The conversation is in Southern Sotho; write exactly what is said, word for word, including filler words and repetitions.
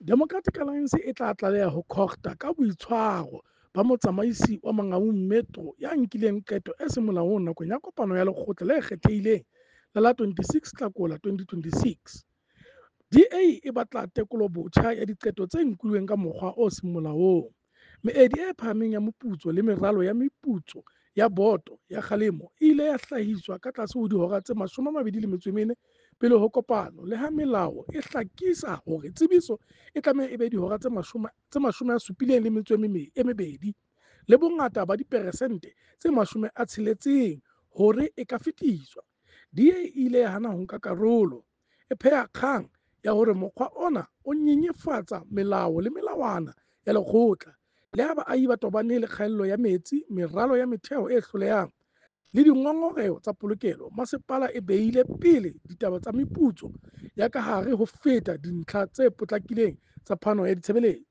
Democratic Alliance e tla tlaleha ho COGTA ka boitshwaro ba motsamaisi wa Mangaung Metro ya nkileng qeto e seng molaong nakong ya kopano ya lekgotla le kgethehileng la la twenty-six Hlakola twenty twenty-six. D A e batla tekolobotjha ya diqeto tse nkilweng ka mokgwa o seng molaong. Meedi e phahameng ya moputso le meralo ya meputso ya boto ya kgalemo e ile ya hlahiswa ka tlase ho dihora tse mashome a mabedi le metso e mene pele ho kopano, le ha melao e hlakisa hore tsebiso e tlameha e be dihora tse mashome, tse mashome a supileng le metso e mebedi le bongata ba diperesente tse mashome a tsheletseng hore e ka fetiswa. D A e ile ya hana ho nka karolo, e pheha kgang ya hore mokgwa ona o nyenyefatsa melao le melawana ya lekgotla. Le ha baahi ba tobane le kgaello ya metsi, meralo ya metheo e hlolehang le dingongoreho tsa polokelo, masepala e beile pele ditaba tsa meputso ya ka hare ho feta dintlha tse potlakileng tsa phano ya ditshebeletso.